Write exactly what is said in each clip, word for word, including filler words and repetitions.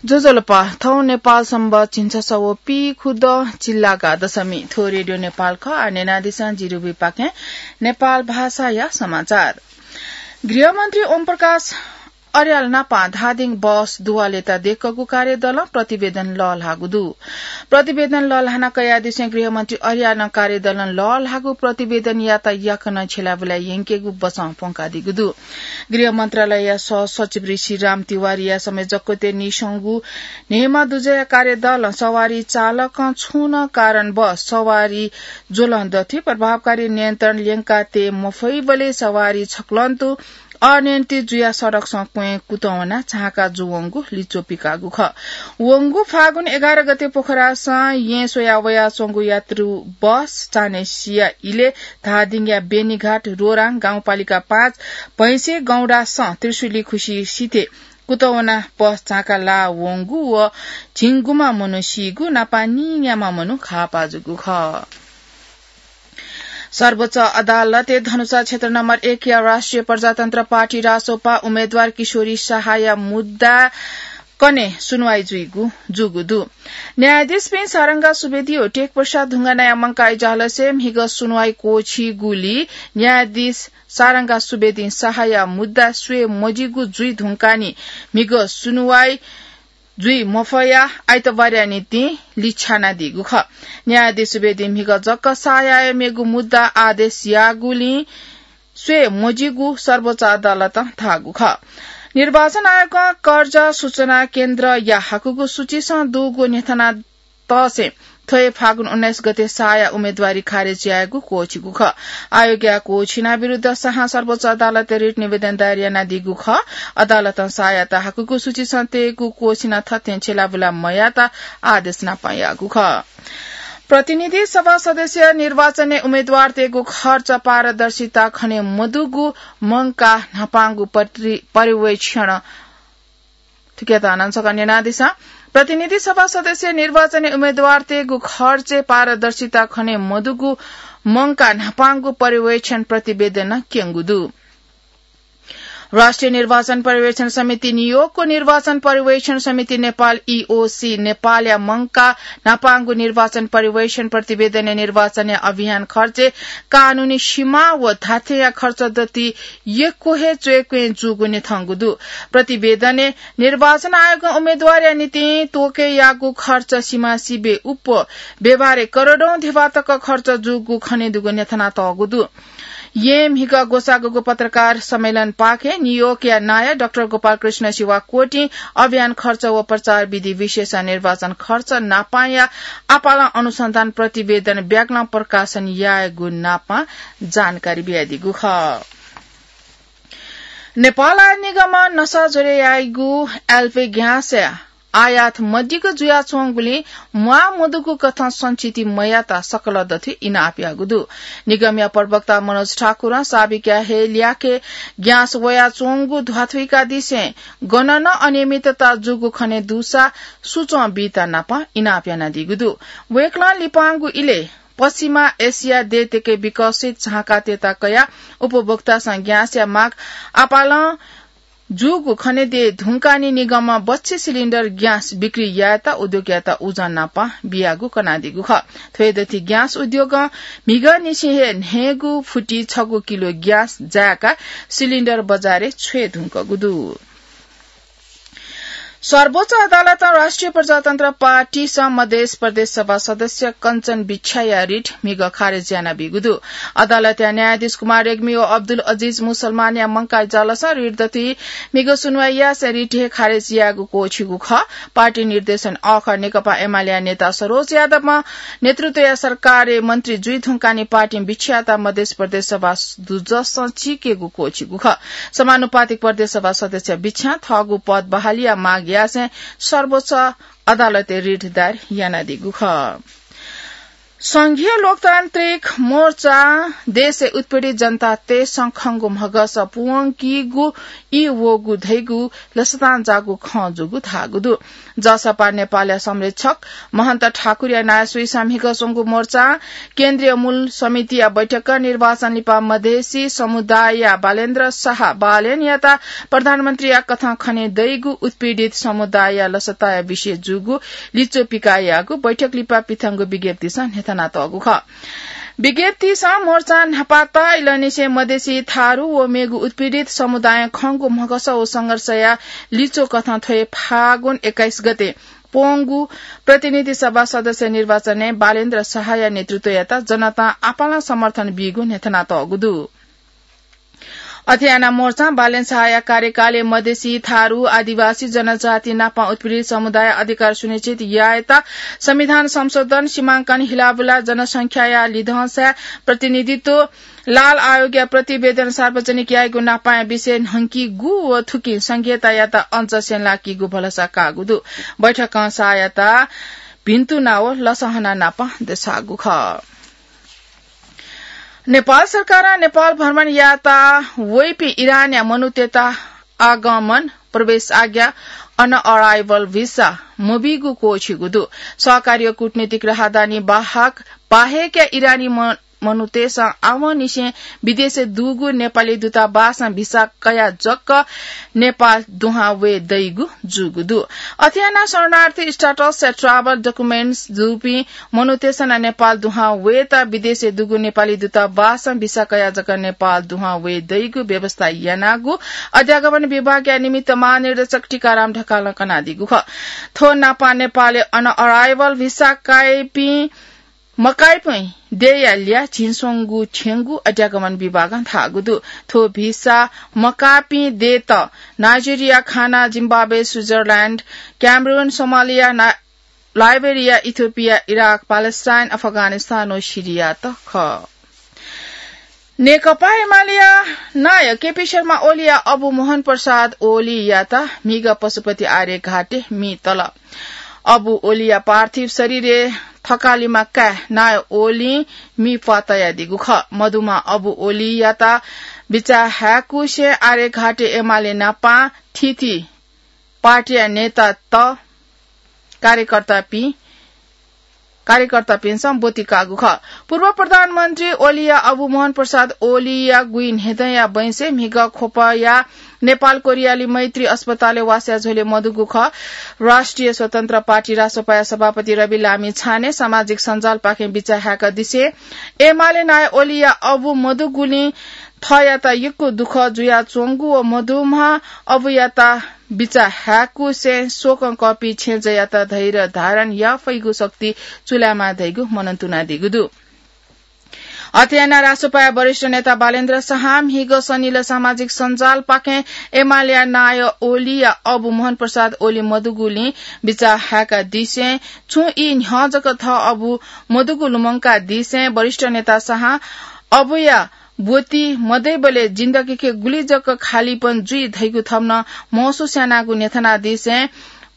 ज्वजलपा, थौं नेपाल संवत् झिंछसः व पीखुदँ चिल्लागा दशमी। थ्व रेडियो नेपाल खः। आः न्यनादिसँ जिरुबिपाखें नेपाल भाषाया समाचार। गृहमन्त्री ओम प्रकाश अर्याल नापं धादिङ बस दुवालेत देकःगु कार्यदलं प्रतिवेदन लःल्हाःगु दु। प्रतिवेदन लःल्हाना कयादिसें गृहमन्त्री अर्यालं कार्यदलं लःल्हाःगु प्रतिवेदनयात याकनं छ्यलाबुलाय् यंकेगु बचं प्वंकादीगु दु। गृह मन्त्रालयया सहसचिव ऋषिराम तिवारीया संयोजकत्वय् नीस्वंगु न्हय्म्ह दुजःया कार्यदलं सवारी चालकं छुं नं कारणवश सवारी ज्वलं दथुइ प्रभावकारी नियन्त्रण ल्यंका तये मफइबलय् सवारी छक्वलं तुं अनियन्त्रित जुयाः सडकसं क्वँय् कुतः वनाः झांका जूवंगु लिच्वः पिकाःगु खः। वंगु फागुन एघार गते पोखरासं येँ स्वयाः वयाच्वंगु यात्रु बस चान्हय्सिया इलय् धादिङया बेनीघाट रोराङ गाउँपालिका पाँच भैंसे गौंडासं त्रिशुली खुसी सिथय् कुतः वनाः बस झांका लाः वंगु व झिंगुम्ह मनू सीगु, नापं नीन्याम्ह मनू घाःपाः जूगु खः। सर्वोच्च अदालतय् धनुषा क्षेत्र नम्बर एकया राष्ट्रिय प्रजातन्त्र पार्टी रासोपा उम्मेदवार किशोरी शाहया मुद्दा कन्हय् सुनुवाइ जुइगु, जूगु दु। न्यायाधीशपिं सारंगा सुवेदी व टेकप्रसाद ढुङ्गानाया मंकाः इजलासय् म्हिगः सुनुवाइ क्वःछीगुलिं न्यायाधीश सारंगा सुवेदीं शाहया मुद्दा स्वये मजिगु जुइ धुंकाः म्हिगः सुनुवाइ जुइ मफयाः आइतबारया निंतिं लिछ्यानादीगु खः। न्यायाधीश सुवेदीं म्हिगः जक शाहया मेगु मुद्दा आदेश याःगुलिं स्वये मजिगु सर्वोच्च अदालतं धाःगु खः। निर्वाचन आयोगं कर्जा सूचना केन्द्रया हाकुगु सूचीसं दुगु न्ह्यथना तःसें थ्व हे फागुन उन्नाइस गते शाहया उम्मेदवारी खारेज यायेगु क्वःछीगु खः। आयोगया क्वःछिना विरुद्ध शाहं सर्वोच्च अदालतय् रिट निवेदन दायर यानादीगु खः। अदालतं शाहयात हाकुगु सूचीसं तयेगु क्वःछिना थथें छ्यलाबुला मयायेत आदेश नापं याःगु खः। प्रतिनिधि सभा सदस्य निर्वाचनय् उम्मेदवारतय्गु खर्च पारदर्शिता खने मदुगु मंकाः न्हापांगु परि-, पर्यवेक्षण थुकियात हानं छकः न्यनादिसँ। प्रतिनिधि सभा सदस्य निर्वाचनय् उम्मेदवारतय्गु खर्चय् पारदर्शिता खने मदुगु मंकाः न्हापांगु पर्यवेक्षण प्रतिवेदनं क्यंगु दु। राष्ट्रिय निर्वाचन पर्यवेक्षण समिति न्यूयोर्कको निर्वाचन पर्यवेक्षण समिति नेपाल, ईओसी, नेपालया मंकाः न्हापांगु निर्वाचन पर्यवेक्षण प्रतिवेदनय् निर्वाचनया अभियान खर्चय् कानूनी सीमा व धात्थेंया खर्च दति यक्व हे च्वय्क्वँय् जूगु न्ह्यथंगु दु। प्रतिवेदनय् निर्वाचन आयोगं उम्मेदवारया निंतिं त्वःके याःगु खर्च सिमासिबय् उप्वः व्यवहारय् करोडौं धिबा तक खर्च जूगु खनेदुगु न्ह्यथनातःगु दु। येँ म्हिगः ग्वसाःगु पत्रकार सम्मेलन पाखें न्यूयोर्कया नायः डाक्टर गोपालकृष्ण शिवाकोटीं अभियान खर्च व प्रचार विधि विशेष निर्वाचन खर्च नापांया आपालं अनुसन्धान प्रतिवेदन ब्यागलं प्रकाशन यायेगु नापां जानकारी बियादीगु खः। नेपाल आयकर निगमं नसा ज्वरे याइगु एलपी ग्याँसय् आयात मदिक्क जुयाच्वंगुलिं म्वाः मदुगु कथं सञ्चिति मयात सकल दथुइ इनाप याःगु दु। निगमया प्रवक्ता मनोज ठाकुरं साबिकया हे ल्याखय् ग्याँस वयाच्वंगु ध्वाथुइकादिसें गन नं अनियमितता जूगु खने दुसा सुचं बीत नापं इनाप यानादीगु दु। वय्कलं लिपांगु इलय् पश्चिमा एसिया देय्तय्के विकसित झांकातय्त कयाः उपभोक्तासं ग्याँसया माग आपालं जूगु खने दये धुंकाः निगमं बच्छि सिलिन्डर ग्याँस बिक्री यायेत उद्योगयात उजं नापं बियागु कनादीगु खः। थ्व हे दथुइ ग्याँस उद्योगं म्हिगःनिसें हे न्हय्गू फुति छगू किलो ग्याँस जाय्काः सिलिन्डर बजारय् छ्वये धुंकूगु दु। सर्वोच्च अदालतं राष्ट्रिय प्रजातन्त्र पार्टीसं मधेस प्रदेश सभा सदस्य कञ्चन भिक्षाया रिट म्हिगः खारेज यानाबीगु दु। अदालतया न्यायाधीश कुमार रेग्मी व अब्दुल अजिज मुसलमानया मंकाः इजलासं रिट दथुइ म्हिगः सुनुवाइ यासें रिट हे खारेज यायेगु क्वःछीगु खः। पार्टी निर्देशन अःखः नेकपा एमालेया नेता सरोज यादवं नेतृत्वया सरकारय् मन्त्री जुइ धुंकाः पार्टीं भिक्षायात मधेस प्रदेश सभा दुजसं चीकेगु क्वःछीगु खः। समानुपातिक प्रदेश सभा सदस्य भिक्षां थःगु पद बहालीया माग यासें सर्वोच्च अदालतय् रिट दायर यानादीगु खः। संघीय लोकतान्त्रिक मोर्चा देशय् उत्पीडित जनतातय्सं खंगु म्हगस पुवंकीगु ई वःगु धइगु लसतां जाःगु खँ जूगु धाःगु दु। जसपा नेपालया संरक्षक महन्त ठाकुरया नायःसुइसां म्हिगः स्वंगु मोर्चां केन्द्रीय मूल समितिया बैठकं निर्वाचन लिपा मधेसी समुदायया बालेन्द्र शाह बालेनयात प्रधानमन्त्रीया कथं खने दइगु उत्पीडित समुदायया लसताया विषय जूगु लिच्वः पिकायागु बैठक लिपा पिथंगु विज्ञप्तिसं न्ह्यथनातःगु खः। विज्ञप्तिसं मोर्चां न्हापा तःइलंनिसें मधेसी थारु व मेगु उत्पीडित समुदायं खंगु म्हगस व संघर्षया लिच्वः कथं थ्व हे फागुन एक्काइस गते प्वंगु प्रतिनिधि सभा सदस्य निर्वाचनय् बालेन्द्र शाहया नेतृत्वयात जनतां आपालं समर्थन बीगु न्ह्यथनातःगु दु। अथे यानाः मोर्चां बालेन शाहया कार्यकालय् मधेसी, थारु, आदिवासी जनजाति नापं उत्पीडित समुदाय अधिकार सुनिश्चित यायेत संविधान संशोधन, सीमांकन हिलाबुला, जनसंख्याया लिधंसाय् प्रतिनिधित्व, लाल आयोगया प्रतिवेदन सार्वजनिक यायेगु नापांया विषय न्हंकीगु व थुकिं संघीयतायात अझ स्यंलाकीगु भलसा काःगु दु। बैठकं शाहयात भिन्तुना व लसहना नापं देछाःगु खः। नेपाल सरकारं नेपाल भ्रमण यात्रा वइपिं इरानया मनूतय्त आगमन, प्रवेश आज्ञा, अन अराइभल भिसा मबीगु क्वःछिगु दु। सहकारीय कूटनीतिक राहदानी बाहक, बाहेकया इरानी म-, मनूतय्सं आवंनिसें विदेशय् दुगु नेपाली दूतावासं भिसा कयाः जक नेपाल दुहां वये दइगु जूगु दु। अथे यानाः शरणार्थी status या travel documents दुपिं मनूतय्सं नं नेपाल दुहां वयेत विदेशय् दुगु नेपाली दूतावासं भिसा कयाः जक नेपाल दुहां वये दइगु व्यवस्था यानागु अध्यागमन विभागया निमित्त महानिर्देशक टीकाराम ढकालं कनादीगु खः। थ्व नापं नेपालय् अन अराइभल भिसा काइपिं मकाइपिं देय्या ल्याः झिंस्वंगू थ्यंगु अध्यागमन विभागं धाःगु दु। थ्व भिसा मकाःपिं देय्त नाइजेरिया, घाना, जिम्बाब्वे, स्विजरल्याण्ड, क्यामरून, सोमालिया, ना-, Liberia, Ethiopia, Iraq, Palestine, Afghanistan व सिरियात खः। नेकपा एमालेया नायः केपी शर्मा ओलीया अबु मोहन प्रसाद ओलीयात म्हिगः पशुपति आर्यघाटय् म्ये तल। अबु ओलीया पार्थिव शरीरय् थकालिमा काय् नायः ओलीं म्ये प्वाः तयादीगु खः। मदुम्ह अबु ओलीयात बिचाः हाय्‌कुसे आर्यघाटय् एमाले नापं थीथी पार्टीया नेतात, कार्यकर्तापिं, कार्यकर्तापिन्सं ब्वति काःगु खः। पूर्व प्रधानमन्त्री ओलीया अबु मोहन प्रसाद ओलीया गुँइ न्हेदँया बैंसय् म्हिगः ख्वपया नेपाल कोरियाली मैत्री अस्पतालय् वासया झ्वलय् मदुगु खः। राष्ट्रिय स्वतन्त्र पार्टी रासोपाया सभापति रवि लामिछानें सामाजिक सञ्जालपाखें बिचाः हाय्‌कादिसें एमाले नायः ओलीया अबु मदुगुलिं थःयात यक्व दुःख जुयाच्वंगु व मदुम्ह अबुयात बिचाः हाय्‌कुसें शोकं कःपिं छेँजःयात धैर्य धारण याये फइगु शक्ति चूलायेमाः धइगु मनंतुनादीगु दु। अथे यानाः रासोपाया वरिष्ठ नेता बालेन्द्र शाहं म्हिगः सनिलय् सामाजिक सञ्जालपाखें एमालेया नायः ओलीया अबु मोहन प्रसाद ओली मदुगुलिं बिचाः हाय्‌कादिसें छुं ई न्ह्यः जक थः अबु मदुगु लुमंकादिसें वरिष्ठ नेता शाहं अबुया ब्वति मदइबलय् जिन्दगीके गुलि जक खालीपन जुइ धइगु थम्हं महसुस यानागु न्ह्यथनादिसें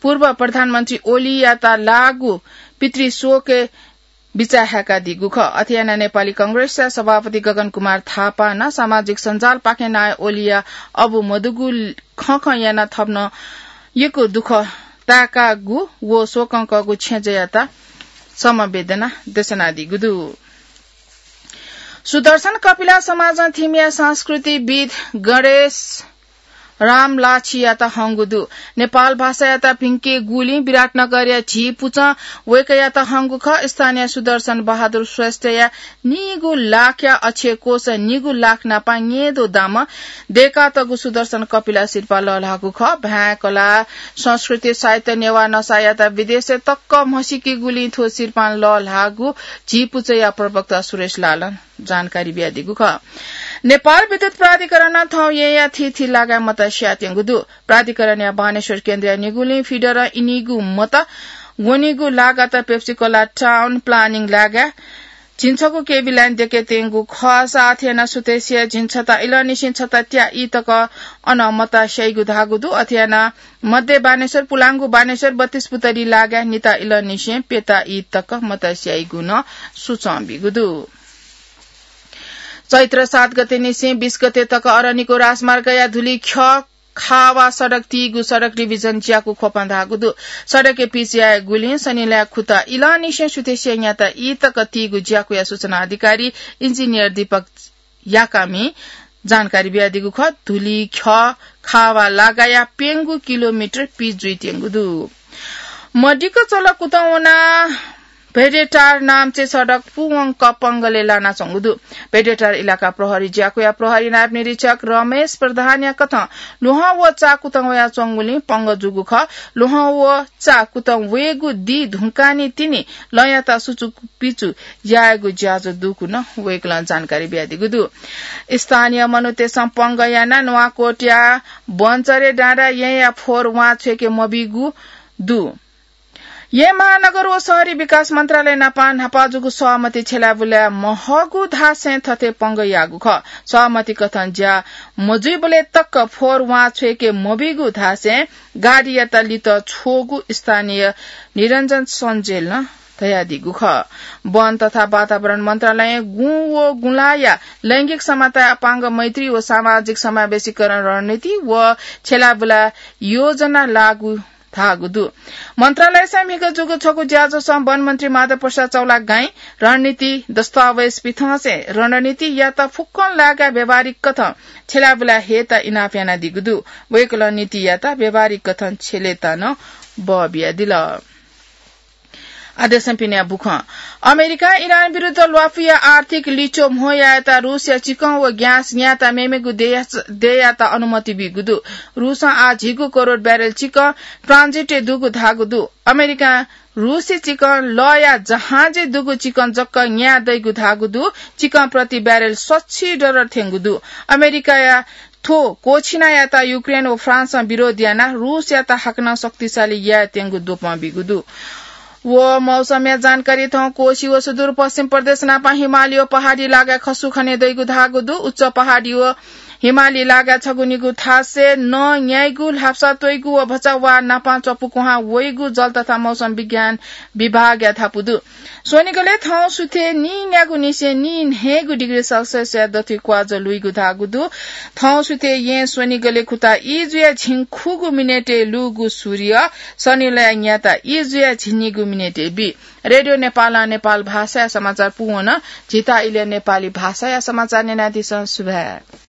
पूर्व प्रधानमन्त्री ओलीयात लाःगु पितृशोकय् बिचाः हाय्‌कादीगु खः। अथे यानाः नेपाली कांग्रेसया सभापति गगन कुमार थापां नं सामाजिक सञ्जालपाखें नायः ओलीया अबु मदुगु खँ खँ यानाः थम्हं यक्व दुःख ताय्‌कागु व शोकं कःगु छेँजःयात समवेदना देछानादीगु दु। सुदर्शन कपिला समाजं थिमिया संस्कृतिविद् गणेश रामलाछियात हंगु दु। नेपाल भाषायात भिंकेगुलिं विराटनगरया झी पुचं वय्‌कःयात हंगु खः। स्थानीय सुदर्शन बहादुर श्रेष्ठया निगू लाखया अक्षय कोष निगू लाख नापं न्येदँ दामं दय्‌कातःगु सुदर्शन कपिला सिरपाः लःल्हाःगु खः। भाय्, कला, संस्कृति, साहित्य, नेवाः नसायात विदेशय् तक म्हसीकेगुलिं थ्व सिरपाः लःल्हाःगु झी पुचःया प्रवक्ता सुरेश लालं जानकारी बियादीगु खः। नेपाल विद्युत प्राधिकरणं थौं येँया थीथी लागाय् मत स्यायेत्यंगु दु। प्राधिकरणया बानेश्वर केन्द्रया निगुलिं फिडरं इनिगू मत वनीगु लागात पेप्सी कोला टाउन प्लानिङ लागाय् झिंछगू केभी लाइन देके त्यंगु खः। साथ याना सुथसिया झिंछता इलंनिसें छता त्या ई तक अन मता स्याइगु धाःगु दु। अथे याना मध्य बानेश्वर, पुलांगु बानेश्वर, बत्तीस पुतली लागाय् निता इलंनिसें प्यता ई तक मता स्याइगु नं सुचं बीगु दु। चैत्र सात गते निसें बीस गते तक अरनिको राजमार्गया धुली ख्यः खावा सडक तीगु सडक रिभिजन ज्याकू ख्वपां धाःगु दु। सडकय् पिच यायेगुलिं शनिलया खुता इलंनिसें सुथसिया न्याता ई तक तीगु ज्याकूया सूचना अधिकारी इन्जिनियर दीपक याकामी जानकारी बियादीगु खः। धुली ख्यः खावा लागाया प्यंगू किलोमिटर पिच जुइत्यंगु दु। मदिक्क चल कुतवना भेडेटार नाम्चे सडक पूवंक पंगलय् लानाच्वंगु दु। भेडेटार इलाका प्रहरी ज्याकूया प्रहरी नायब निरीक्षक रमेश प्रधानया कथं ल्वहं व चा कुतं वयाच्वंगुलिं पंगः जूगु खः। ल्वहं व चा कुतं वयेगु दी धुंकानि तिनि लँयात सुचुपिचु यायेगु ज्याझ्वः दुगु नं वय्कलं जानकारी बियादीगु दु। स्थानीय मनूतय्सं पंगः यानाः नुवाकोटया बन्चरे डाँडा येँया फोहोर वां छ्वय्के मबीगु दु। येँ महानगर व शहरी विकास मन्त्रालय नाप न्हापा जूगु सहमति छ्यलाबुलाये महःगु धासें थथे पंगः याःगु खः। सहमति कथं ज्या मजुइबलय् तक फोहोर वां छ्वय्के मबीगु धासें गाडीयात लित छ्वःगु स्थानीय निरञ्जन सञ्जेलं धयादीगु खः। वन तथा वातावरण मन्त्रालयं गुँ व गुँलाया लैंगिक समानता, अपाङ्ग मैत्री व सामाजिक समावेशीकरण रणनीति व छ्यलाबुला योजना लागू धाःगु दु। मन्त्रालयसं म्हिगः जूगु छगू ज्याझ्वलय् वन मन्त्री माधव प्रसाद चौलागाईं रणनीति दस्तावेज पिथंसें रणनीतियात फुक्कं लागाय् व्यावहारिक कथं छ्यलाबुला हयेत इनाप यानादीगु दु। वय्कलं नीतियात व्यावहारिक कथं छ्यलेत नं बः बियादिल। आदेशं पिने बुखं। अमेरिकां इरान विरुद्ध ल्वापुया आर्थिक लिच्वः म्हो यायेत रूसया चिकं व ग्यास न्यायेत मेमेगु देय्-, देय्‌यात अनुमति बीगु दु। रूसं आः झिगू करोड ब्यारेल चिकं ट्रान्जिटय् दुगु धाःगु दु। अमेरिकां रूसी चिकं लःया जहाजय् दुगु चिकं जक न्याये दइगु धाःगु दु। चिकं प्रति ब्यारेल सच्छि डलर थ्यंगु दु। अमेरिकाया थ्व क्वःछिनायात युक्रेन व फ्रान्सं विरोध यानाः रूसयात हाकनं शक्तिशाली यायेत्यंगु द्वपं बीगु दु। व मौसमया जानकारी। थौं कोशी व सुदूरपश्चिम प्रदेश नाप हिमाली व पहाडी लागाय् खसु खने दइगु धाःगु दु। उच्च पहाडी व हिमाली लागाय् छगू निगू थासय् नं न्याइगु, ल्हापसा त्वइगु व भचा वा नाप च्वपु कुहां वइगु जल तथा मौसम विज्ञान विभागया धापू दु। स्वनिगलय् थौं सुथय् नीन्यागू निसें नीन्हय्गू डिग्री सेल्सियसया दथुइ क्वाजः लुइगु धाःगु दु। थौं सुथय् येँ स्वनिगलय् खुता ई जुयाः झिंखुगू मिनेटय् लूगु सूर्य शनिलया न्याता ई जुयाः झिंनिगू मिनेटय् बी। रेडियो नेपालं नेपाल भाषाया समाचार पूवन। झीत इलय् नेपाली भाषाया समाचार न्यनादिसँ। सुभाय्।